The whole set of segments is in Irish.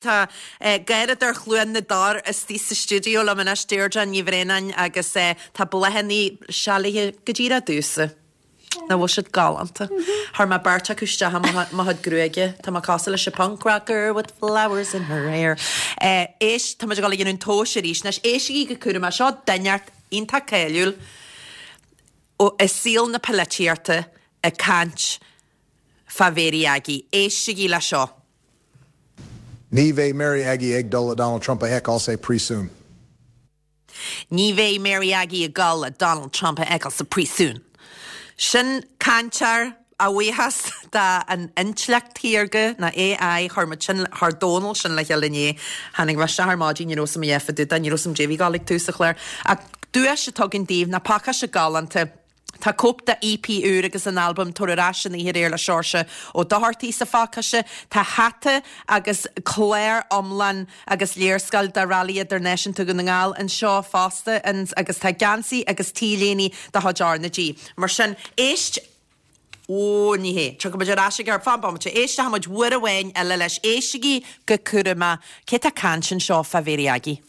Tá Garradóir Chluain na dTor istigh sa stiúideo liom anois, Deirdre Ní Bhraonáin, agus tá bláthanna sealaithe go díreach domhsa. Nach bhfuil siad galánta? Chuir mé beirt acu isteach i mo chuid gruaige. Tá mé cosúil leis an punk rocker with flowers in her hair. Éist, tá muid ag dul a dhéanamh an tomhais arís anois. Éistigí go cúramach, seo duine iontach cáiliúil i saol na polaitíochta ag caint fá Mhary Aggie. Éistigí le seo. Ní bheidh Mary Aggie ag dul le Donald Trump a fheiceáil sa phríosún. Ní bheidh Mary Aggie ag dul le Donald Trump a fheiceáil sa phríosún. Sin cainteoir, a bhuíochas do an intleacht shaorga, nó AI, chuir muid sin, chuir Dónal sin le chéile inné. Tháinig mé isteach ar maidin, ní raibh 's a'm a dhath fá dtaobh de, ní raibh 's a'm caidé a bhí ag dul ag tús an chláir. Ach duais atá againn daoibh, ná pacáiste galánta. Tá cóip de EP úr agus an albam Tar Ar Ais an Oíche Aréir le Seoirse Ó Dochartaigh sa phacáiste. Tá hata agus clár iomlán agus léarscáil de Rally Idirnáisiúnta Dhún na nGall anseo fosta agus tá geansaí agus T-léine de chuid R na G. Mar sin, éist, Ó, ní hé. Tiocfaidh muid ar ais ag ar, fan bomaite, éistfidh muid uair amháin eile leis. Éistigí go cúramach. Cé tá ag caint anseo fá Mhary Aggie?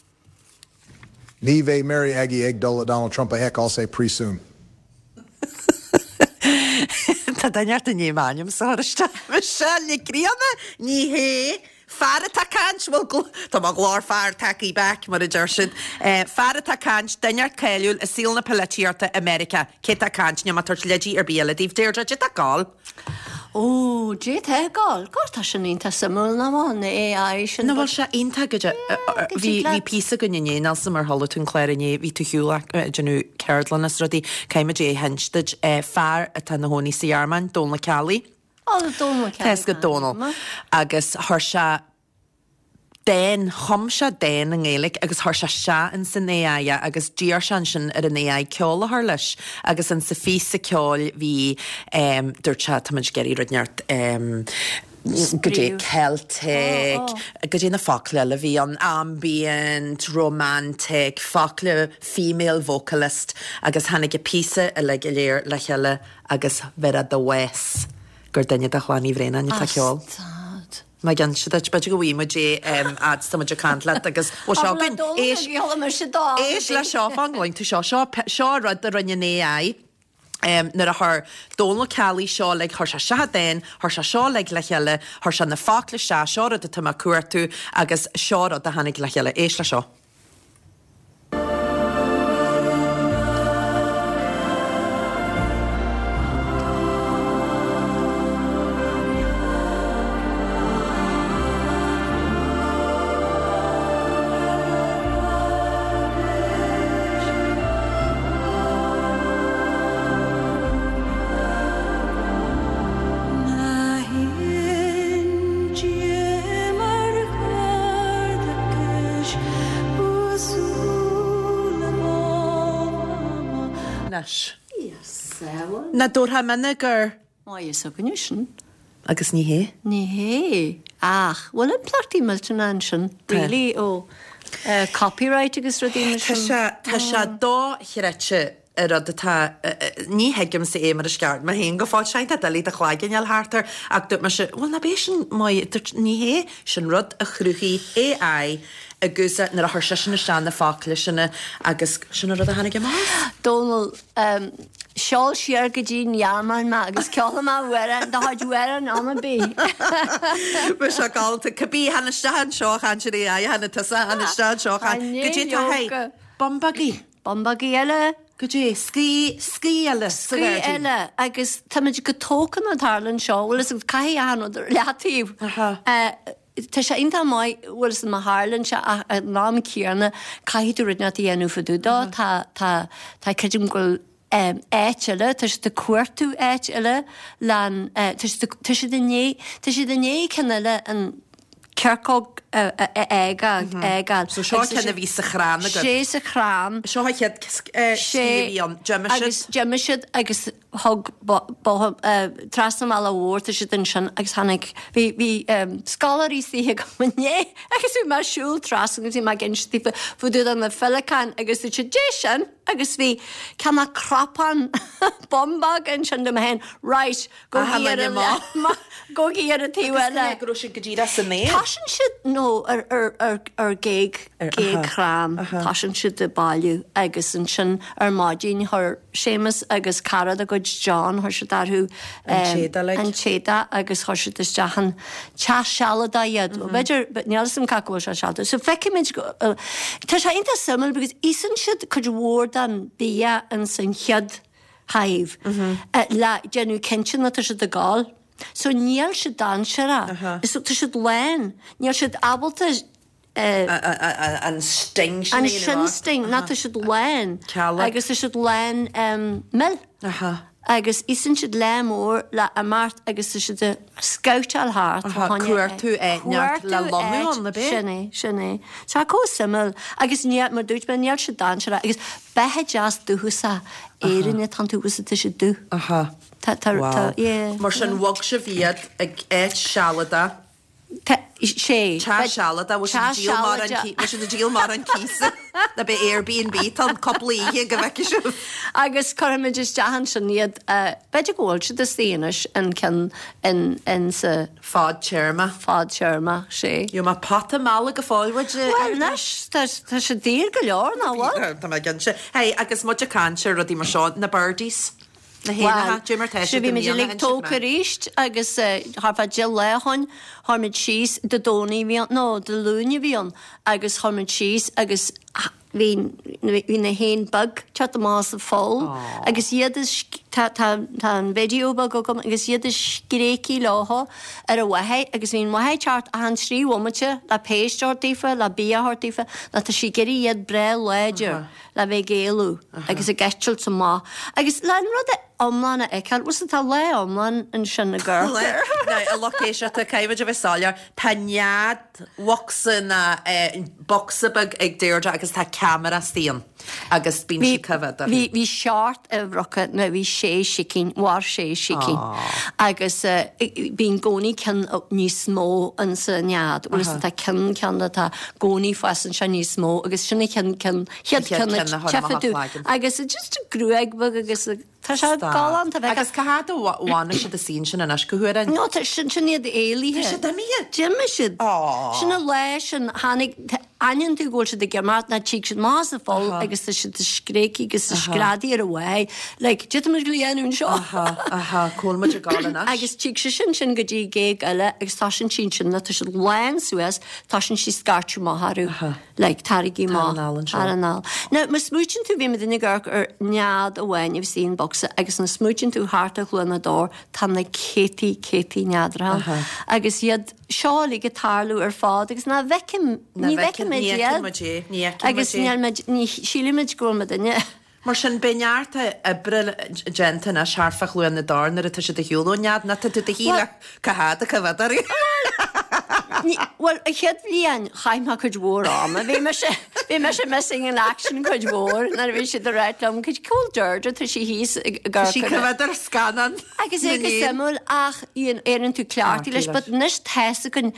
Ní bheidh Mary Aggie ag dul le Donald Trump a fheiceáil sa phríosún. Tá duine ort i ndiaidh m'ainmse a chur isteach. Michelle Nic Grianna? Ní hé. Fear atá ag caint, bhuel, tá mo ghlór fear tagtha back, mar a deir siad. Fear atá ag caint, duine ort cáiliúil i saol na polaitíochta i Meiriceá. Cé tá ag caint? Níl mé ag tabhairt leidí ar bith eile daoibh. Deirdre, caidé tá ag gabháil? Ó, caidé tá ag gabháil. God, tá sin iontach suimiúil, nach bhfuil, na AI sin. Nach bhfuil sé iontach go deo. Bhí, bhí píosa againn inné, níl 's a'm ar chuala tú an clár inné, bhí tú ar shiúl ag déanamh ceardlann is rudaí, caithfidh muid é a insint duit, fear atá ina chónaí sa Ghearmáin, Dónal Ó Ceallaigh. Ó, Dónal Ó Ceallaigh. Tá 'fhios agat Dónal. Agus chuir sé dán, chum sé dán i nGaeilge agus chuir sé isteach ins an AI é agus d'iarr sé ansin ar an AI ceol a chur leis agus insa phíosa ceoil bhí ehm dúirt sé tá muid ag iarraidh rud inteacht ehm goidé Celtic, goidé na focla eile a bhí ann, ambient, romantic, focla female vocalist agus tháinig an píosa uilig go léir le chéile agus bheirfeá do bhás gur duine de Chlann Uí Bhraonáin atá ag ceol. Stad. Má inse duit, b'fhéidir go bhfaighidh muid é fhad 's tá muid ag caint leat agus bhfuil seo againn. Éist, éist le seo, fan go gcluin tú seo. Seo, seo rud a rinne an AI nuair a chuir Dónal Ceallaigh seo uilig, chuir sé isteach an dán, chuir sé seo uilig le chéile, chuir sé na focla isteach, seo rud atá mé ag cuartú agus seo rud a tháinig le chéile. Éist le seo. Anois. Nach dtabharfá mine gur. Maith againne sin. Agus ní hé. Ní hé. Ach, bhfuil impleachtaí millteanacha ansin, really, ó copyright agus rudaí mar sin? Tá sé, tá sé dochreidte an rud atá, ní thuigimse é mar is ceart mé féin go fóill, sé tá doiligh do chloigeann a fháil thart air ach dúirt mise, bhuel ná b'é sin maith, dúirt, ní hé, sin rud a chruthaigh AI agus nuair a chuir seisean isteach na focla sin agus sin an rud a tháinig amach as. Dónal, Seol siar go dtí an Ghearmáin mé agus ceolfaidh mé amhrán de chuid amhrán am ar bith. Bheadh sé galánta. Cibé, tháinig isteach anseo a chaint ar AI, tháinig tusa, tháinig isteach anseo a chaint. Goidé tá hé? Bumbagaí. Bumbagaí eile. Goidé, scaoi, scaoi eile sa Scaoi ghairdín. eile agus táimid go tógtha nuair a tharlaíonn seo, bhfuil fhios agat, caithfidh achan rud ar leataobh. Aha. Tá sé iontach maith, bhfuil fhios agat, má tharlaíonn sé ach ag an am céanna caithfidh tú rud inteacht a dhéanamh fá dtaobh dó. Tá, tá, tá, creidim go bhfuil áit eile, tá siad ag cuartú áit eile le'n, tá siad, tá siad i ndiaidh, tá siad i ndiaidh ceann eile an ciorcóg a fhágáil. So seo ceann a bhí sa chrann agat. Sé sa chrann. Seo an chéad scaoi a bhí ann. D'imigh siad. Agus d'imigh siad agus. Thug bóthar trasna an bhealaigh mhóir, tá siad ansin agus tháinig, bhí, bhí scoláirí istigh agam inné agus bhí mé ag siúl trasna agus bhí mé ag inse daofa fá dtaobh de na féileacáin agus dúirt siad, Dé sin! Agus bhí cineál cnapán bumbóg ansin dom féin, right, Gabhaigí ar an gabhaigí ar an taobh eile. Agus go raibh siad go díreach san aer. Tosaíonn siad nó ar ar ar ar géag géag chrann tosaíonn siad ag bailiú agus ansin ar maidin chuir Séamus agus cara dá gcuid John chuir siad orthu an t-éadach agus chuir siad isteach an teach sealadach iad. B'fhéidir níl 'fhios a'm cá go bhfuil sé sealadach. So feicimid tá sé iontach suimiúil because íosann siad cuid mhór den bia ins an chéad hive le déanamh cinnte nach tá siad ag gol. So níl siad dainséarach. So tá siad lán. Níl siad ábalta an sting sin a dhéanamh. An sting, ná tá siad lán. Agus tá siad lán mil. Agus íosann siad lear mór le imeacht agus tá siad ag scabhtáil thart. Cuartú áit neart le lonnú ann, ab é? Sin é, sin é. Tá chomh suimiúil. Agus níl, mar dúirt mé, níl siad dainséarach. Agus beatha deas dúchasach Éireann atá iontu agus tá siad dubh. Tá, tá, tá, yeah. Mar sin, bhog sibh iad ag áit sealadach. Tá, sé. Teach sealadach, bhfuil siad ag díol mórán cíosa, bhfuil siad ag díol mórán cíosa, nó b'é Airbnb atá ann cúpla oíche go bhfeicfidh sibh. Agus cuirfimid isteach ansin iad, b'fhéidir go bhfuil siad istigh anois an ceann in, in sa. Fadtéarma. Fadtéarma, sé. Gheobhaidh mé pota meala go fóill uait. Bhuel anois, tá, tá sé daor go leor, nach bhfuil? Tá mé cinnte. Hey, agus muid ag caint ar rudaí mar seo, na birdies. Na héanacha, cad é mar tá siad i mbliana, bhí muid uilig tógtha arís agus thart fá 10 lá ó shoin, chuir muid síos, Dé Domhnaigh a bhí ann, no, Dé Luain a bhí ann agus chuir muid síos agus bhí, bhí na héin beag ag teacht amach as an pholl agus iad ag, tá, tá, tá an video beag agam agus iad ag scréachaigh leotha ar a mháthair agus bhí an mháthair ag teacht achan 3 bhomaite le péist a thabhairt daofa, le bia a thabhairt daofa, nó tá sí ag iarraidh iad breá láidir. le bheith ag éalú agus ag eitilt amach agus le an rud iomlán a fheiceáil, bhuel tá lá iomlán ansin ag amharc. Now, a lucht éisteachta, caithfimid a bheith soiléir, tá nead bhocsa ná bocsa beag ag Deirdre agus tá ceamara istigh ann agus bíonn sí coimhéad orthu. Bhí seacht uimhreacha, nó bhí sé sicín, mhair sé sicín agus bíonn i gcónaí ceann níos mó insa nead, bhuel tá ceann ceann atá i gcónaí fásann sé níos mó agus sin an ceann ceann chéad ceann a tchífidh tú agus just a gruaig bheag agus tá sé galánta bheith Agus cá fhad a bhfanfaidh siad istigh ansin anois go huair No tá sin sin iad éalaithe. Tá siad imithe. D'imigh siad. Sin an lá sin tháinig aithníonn tú go bhfuil siad ag imeacht ná tig siad amach as an pholl agus tá siad ag scréachaigh agus ag screadaigh ar a mháthair like cad tá muid le dhéanamh anseo. Aha aha cá bhfuil muid ag gabháil anois. Agus tig sé sin sin go dtí géag eile agus tá sin sin sin tá siad lán suas Tosaíonn sí scairteadh amach orthu, like, taraigí amach, tar anall. Now, má smaoitíonn tú, bhí muid ag amharc ar nead amháin a bhí istigh in bocsa agus má smaoitíonn tú thart ar Chluain na dTor, tá na céadtaí, céadtaí neadracha ann. Agus iad seo uilig ag tarlú ar fad agus ná bhfeicim, ní bhfeicimid iad. Agus níl muid, ní shílimid go bhfuil muidinne. Mar sin, beidh neart oibre déanta anois thart fá Chluain na dTor nuair atá siad ag shiúl ón nead, nó tá tú do shíl cá fhad a choimhéad orthu. Bhuel, an chéad bhliain, chaith mé cuid mhór ama. Bhí mise, bhí mise missing in action cuid mhór nuair a bhí siad ag ráit liom, cá bhfuil Deirdre, tá sí thíos ag Tá sí coimhéad ar scannán Agus é go suimiúil ach éiríonn tú cleachtaithe leis, but anois tá's againn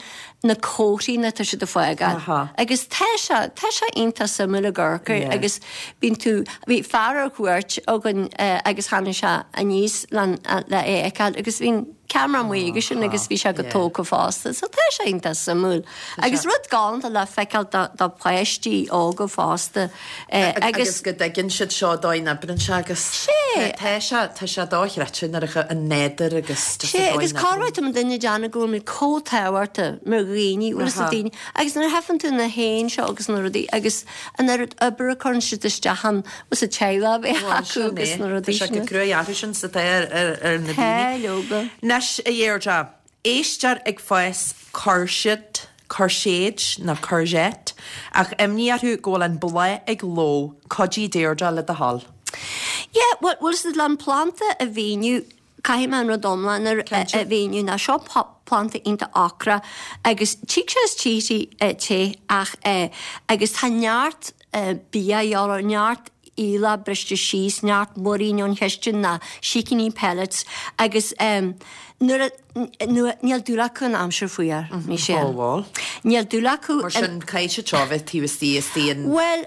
na comharthaí ná tá siad ag fágáil. Agus tá sé, tá sé iontach suimiúil ag amharc air agus bíonn tú, bhí fear ar cuairt againn agus tháinig sé aníos le le é a fheiceáil agus bhí an ceamara amuigh aige sin agus bhí sé go tógtha fosta. So tá sé iontach suimiúil. Agus rud galánta le feiceáil do do pháistí óga fosta. Agus go dtuigeann siad seo dóigh n-oibreann sé agus tá sé, tá sé dochreidte nuair a an nádúr agus just an dóigh agus cá raibh tú duine ag déanamh go bhfuil muid chomh tábhachtach mar dhaoine, bhfuil fhios ag daoine, agus nuair a tchíonn tú na héin seo agus na rudaí agus an oiread oibre a chuireann siad isteach ann, bhfuil fhios a'd teaghlach a bheith acu agus na rudaí sin. Tá sé go cruaidh orthu sin is atá ar na daoine. Tá, leoga. Anois, a Dheirdre, Éistear ag fás coirsead, coirséid nó courgette, ach imní orthu go bhfuil an bláth ag ló. Cuidigh Deirdre le do thoil. Yeah, bhuel, bhfuil fhios a'd le an planda a mhíniú, caithfidh mé an rud iomlán a mhíniú ná seo planda iontach ocrach agus tig sé is tigh te ach agus tá neart bia a dhíobháil air, neart. aoileach briste síos, neart muirín ón chistin ná sicíní pellets agus nuair a, nuair, níl dúil acu in aimsir fuar, Michelle. Ó bhuel. Níl dúil acu Mar sin, caithfidh siad seo a bheith taobh istigh, istigh in. Bhuel,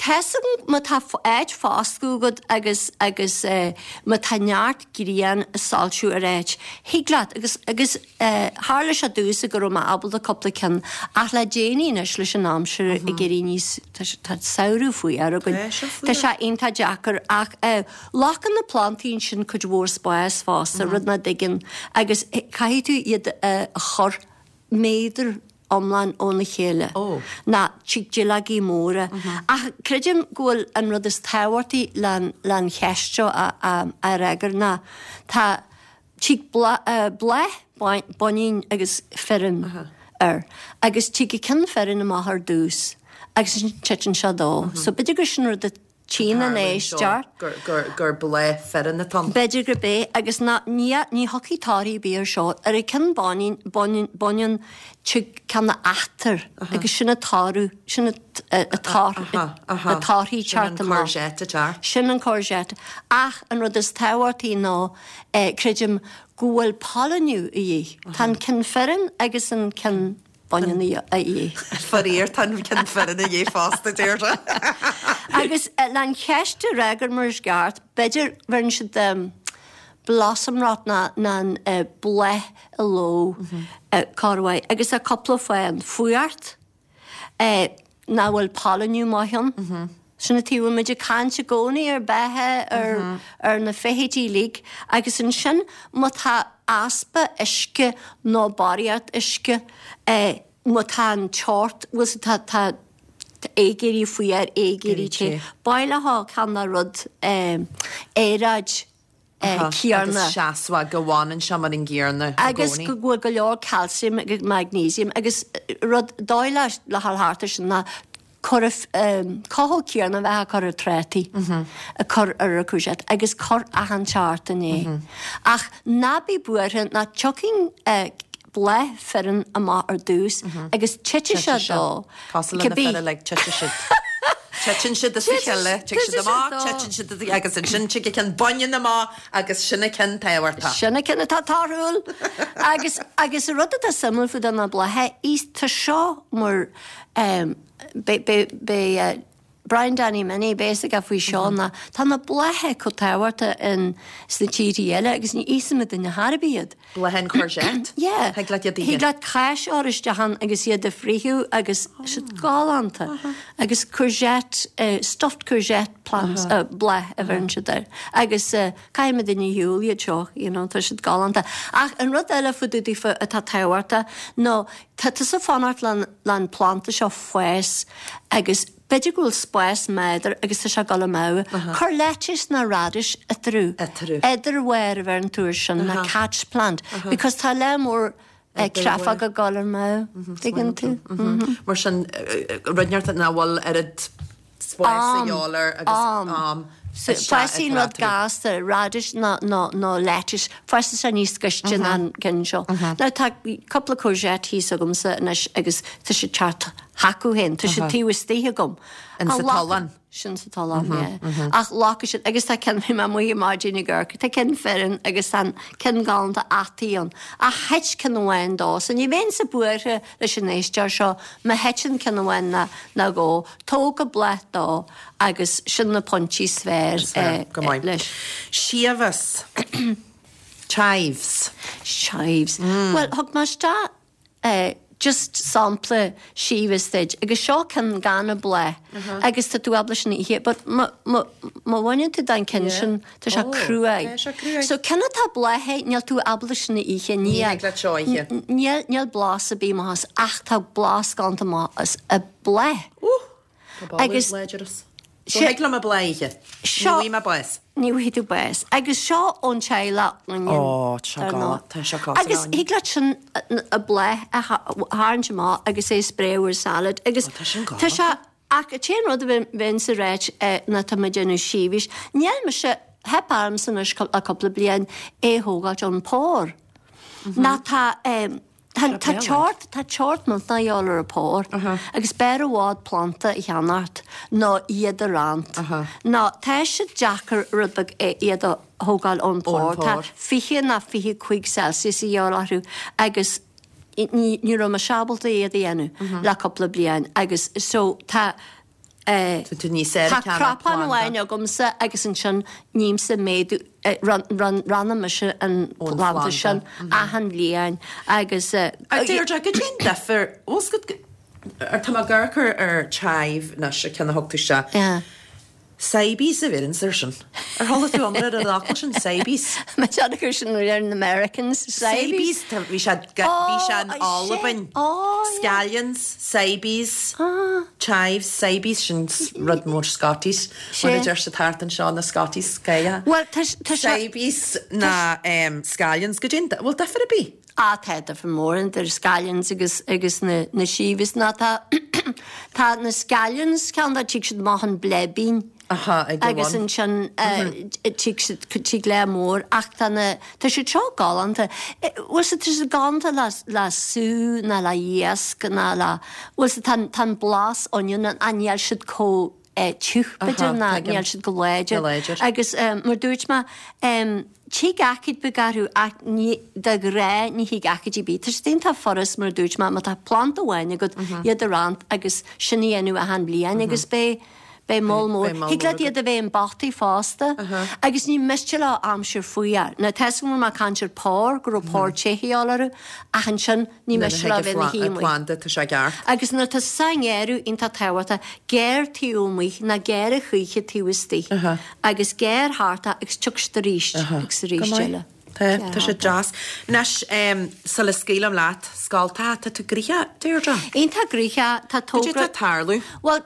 Tá's agam má tá áit foscadh agat agus agus má tá neart grian ag soilsiú ar áit, thig leat agus agus tharla sé domhsa go raibh mé ábalta cúpla ceann ach le déanaí anois leis an aimsir ag éirí níos tá tá samhradh fuar againn. Tá sé iontach deacair ach glacann na plantaí ansin cuid mhór spáis fosta, rud nach dtuigeann agus caithfidh tú iad a chur méadar iomlán óna chéile ná tig duilleogaí móra. Ach creidim go bhfuil an rud is tábhachtaí len cheist seo a fhreagairt ná tá tig bláth baineann agus fireann air agus tig an ceann fireann amach ar dtús agus ansin titeann sé dó. So b'fhéidir gur sin rud a Tchíonn an éisteoir. gur bláth fireann atá ann. B'fhéidir gurb é, agus ná, ní, ní thiocfaidh torthaí ar bith ar seo. Ar an ceann baineann, baineann, baineann tig ceann a fhaightear agus sin an toradh, sin an tor, na torthaí Sin an teacht amach. courgette atá. Sin an courgette. Ach an rud is tábhachtaí ná, creidim, go bhfuil pailiniú a dhíth. Tá an ceann fireann agus an ceann baineann a dhíth. Faraor, tá an ceann fireann a dhíth fosta, Deirdre. Agus len cheist a fhreagairt mar is ceart, b'fhéidir bheireann siad blossom rot ná an bláth i ló corruair agus tá cúpla fáth ann. Fuacht, nach bhfuil pailiniú maith ann. Sin an tuige a bhfuil muid ag caint i gcónaí ar beatha, ar ar na feithidí uilig agus ansin má tá easpa uisce nó barraíocht uisce, má tá an teocht, bhfuil 's tá tá ag éirí fuar, ag éirí te, b'áil ceann de rud aeráid céanna. Agus seasmhach, go bhfanann sé mar an gcéanna i gcónaí. Agus go bhfuil go leor calcium agus magnesium agus rud dóigh le le dhul thart air sin ná cur cothú céanna a bheith á cur ar trátaí, a cur ar an courgette agus cur achan tseachtain é. Ach ná bí buartha ná tiocfaidh bláth fireann amach ar dtús agus titfidh sé dó. Cosúil le na fir uilig, titfidh siad. Titeann siad as a chéile, tig siad amach, titeann siad as a chéile, agus ansin tig an ceann baineann amach agus sin an ceann tábhachtach. Sin an ceann atá torthúil! Agus, agus an rud atá suimiúil fá dtaobh na blátha, is tá seo mar, beidh, beidh, beidh Brian Danny Minnie, beidh a fhios aige faoi seo ná tá na blátha chomh tábhachtach in sna tíorthaí eile agus ní íosann duine ar bith iad. Blátha an courgette? Yeah. Thig leat iad a ithe. Thig leat cáis a chur isteach ann agus iad a friochadh agus siad galánta. Agus courgette, stuffed courgette plants, bláth a bheireann siad air. Agus caithfidh muid a shiúl iad seo, you know, tá siad galánta. Ach an rud eile fá dtaobh daofa atá tábhachtach ná tá tusa fanacht len planda seo fás agus B'fhéidir go bhfuil spás méadar agus tá sé ag dul amú. Cuir lettuce ná radish eatarthu. Eatarthu. Idirbharr a bheireann tú air sin, ná catch plant. Because tá lear mór créafóg ag dul amú. Tuigeann tú? Mar sin, rud inteacht nach bhfuil oiread spáis a dhíobháil air agus am. Fásann rud gasta, radish ná ná lettuce, fásann sé níos gaiste ná an ceann seo. Now tá cúpla courgette thíos agamsa anois agus tá siad teacht chucu féin, tá siad taobh istigh agam. In sa tollán. Sin sa tollán, yeah. Ach glacfaidh siad, agus tá ceann, bhí mé amuigh ar maidin ag amharc, tá ceann fireann agus tá an ceann galánta fhataí ann. Ach thit ceann amháin dó, so ní bheinnse buartha leis an éisteoir seo má thiteann ceann amháin ná dhó, tóg an bláth dó agus sin na pointí is fearr Is fearr, go maith. leis. Siabhas. Chives. Chives. Bhuel, thug mé isteach just sampla siabhas duit agus seo ceann gan an bláth agus tá tú ábalta sin a ithe but má bhaineann tú den ceann sin tá sé cruaidh. So ceann atá bláthaithe níl tú ábalta sin a ithe ní thig leat seo a ithe. Níl níl blas ar bith amach as ach tá blas galánta amach as an bláth. Tá boladh Agus láidir as. So thig liom an bláth a ithe. Ní Seo. bhfaighidh mé bás. Ní bhfaighidh tú bás. Agus seo ón teaghlach onion. Ó, tá sé galánta. Tá sé cosúil le Agus onion. thig leat sin an bláth a tharraingt amach agus é a spréadh ar salad. Agus Ó, tá sin tá sé, galánta. ach an t-aon rud a bheinnse ag ráit ná tá mé ag déanamh siabhais, níl mise, theip ormsa anois le cúpla bliain é a thógáilt ón pár. Ná tá. Tá tá teocht tá teocht millteanach a dhíobháil ar an phór agus b'fhearr i bhfad planda a cheannacht ná iad a roinnt. Nó tá siad deacair rud beag iad a thógáil ón phór. Tá 20 ná 25 Celsius a dhíobháil orthu agus ní ní raibh mise ábalta iad a dhéanamh le cúpla bliain agus so tá Tá tú níos aire Tá cnapán amháin agamsa agus ansin nímse méadú, roghnaím mise an planda sin achan bhliain agus. A Deirdre, cad é an difear, bhfuil 's agat, tá mé ag amharc ar chive anois, an ceann a thug tú isteach. Sibes a bheireanns air sin. Ar chuala tú iomrá ar an fhocal sin, sibes? Má déanadh air sin ar na Americans, sibes? Sibes, bhí sé, bhí sé in Albain. Scallions, sibes, chives, sibes, sin rud mór Scotties, mar a deir siad thart anseo, na Scotties, Gaeilge. Bhuel, tá sé. Sibes ná scallions, goidé an, bhfuil difear ar bith? Ah, tá difear mór idir scallions agus agus na na chives ná tá tá na scallions ceann dá tig siad amach an bleibín. Aha, ag an Agus bhun. ansin tig siad tig leath mór ach tá na tá siad seo galánta. Bhfuil siad tá siad galánta le le sú ná le iasc ná le bhfuil siad tá tá an blas onion ann ach níl siad chomh tiugh b'fhéidir ná níl siad chomh láidir. Láidir. Agus mar dúirt mé tig aicíd beag orthu ach ní de ghnáth ní thig aicíd ar bith. Tá siad iontach furast mar dúirt mé má tá planda amháin agat iad a roinnt agus sin a dhéanamh achan bhliain agus beidh Beidh moll mór. Thig leat iad a bheith i bpotaí fosta. Agus ní miste leo aimsir fuar. Now tá 'fhios agam go raibh mé ag caint ar phór, go raibh pór te a dhíobháil orthu, ach ansin ní miste leo bheith ina shuí amuigh. Planda, tá sé ceart. Agus nuair atá sa ngeimhreadh iontach tábhachtach, gearr taobh amuigh, ná gearr a choíche taobh istigh. Agus gearr thart é agus tiocfaidh siad arís agus arís eile. Tá, tá sé deas. Anois, sula scaoilim leat, scoltacha, tá tú gnoitheach, Deirdre? Iontach gnoitheach, tá togra. Cad é atá ag tarlú? Bhuel,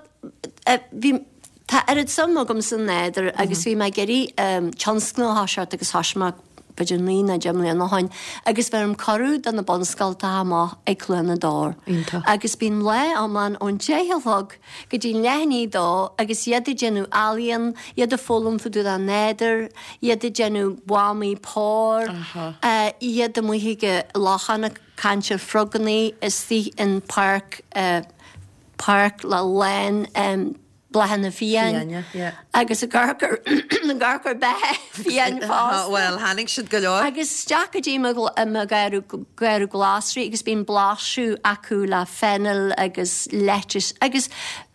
bhí, tá oiread suim agam sa nádúr agus bhí mé ag iarraidh tionscnamh a thoiseacht agus thoisigh mé b'fhéidir 9 nó 10 mbliana ó shoin agus bheirim cuireadh do na bunscoltacha amach ag Cluain na dTor. Iontach. Agus bíonn lá iomlán ón 10 a chlog go dtí leath i ndiaidh a dó agus iad ag déanamh ealaíon, iad ag foghlaim fá dtaobh den nádúr, iad ag déanamh buamaí póir, iad amuigh ag an lochán ag caint ar frogannaí istigh in páirc páirc le lán bláthanna fiáin agus ag amharc ar ag amharc ar beatha fiáin fosta. Bhuel, tháinig siad go leor. Agus isteach go dtí mo gharradh glasraí agus bíonn blaiseadh acu le fennel agus lettuce agus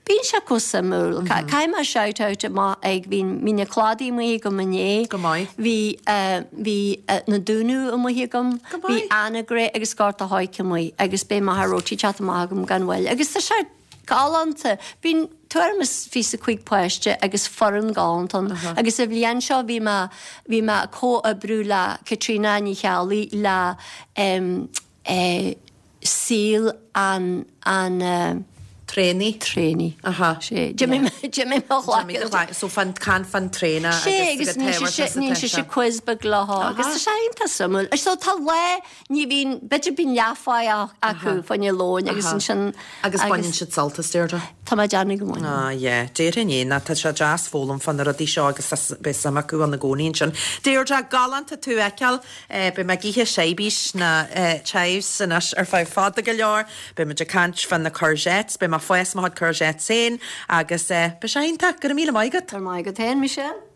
bíonn sé chomh suimiúil. Caithfidh mé shout out amach ag bhí bhí na cladaí amuigh agam inné. Go maith. Bhí bhí na Dúnú amuigh agam. Go maith. Bhí Anagaire agus Gort a' Choirce amuigh agus beidh Machaire Rabhartaigh ag teacht amach agam gan mhoill. Agus tá sé galánta. Bíonn tuairim is 25 páiste agus foireann galánta ann. Agus an bhliain seo bhí mé, bhí mé ag comhoibriú le Caitríona Ní Cheallaigh le eh, saol an, an eh, Traonaigh. Traonaigh. Aha. Sé. D'imigh mé, d'imigh mo ghlac. So fan, caint fan traonach Sé agus ní sé sé, ní sé sé quiz beag leo agus tá sé iontach suimiúil. So tá lá, ní bhíonn, b'fhéidir bíonn leathpháigh acu fá choinne lóin agus ansin. Agus baineann siad sult as Deirdre. Tá mé ag déanamh go mbaineann. Ah yeah, déarfainn é, ná tá sé deas foghlaim fá na rudaí seo agus beidh suim acu ann i gcónaí ansin. Deirdre, galánta tú a fheiceáil. Beidh mé ag ithe sibes ná chives anois ar feadh fada go leor. Beidh muid ag caint fá na courgettes. Beidh mé ag fás mo chuid courgettes féin agus beidh sé iontach. Go raibh míle maith agat. Go raibh maith agat féin, Michelle.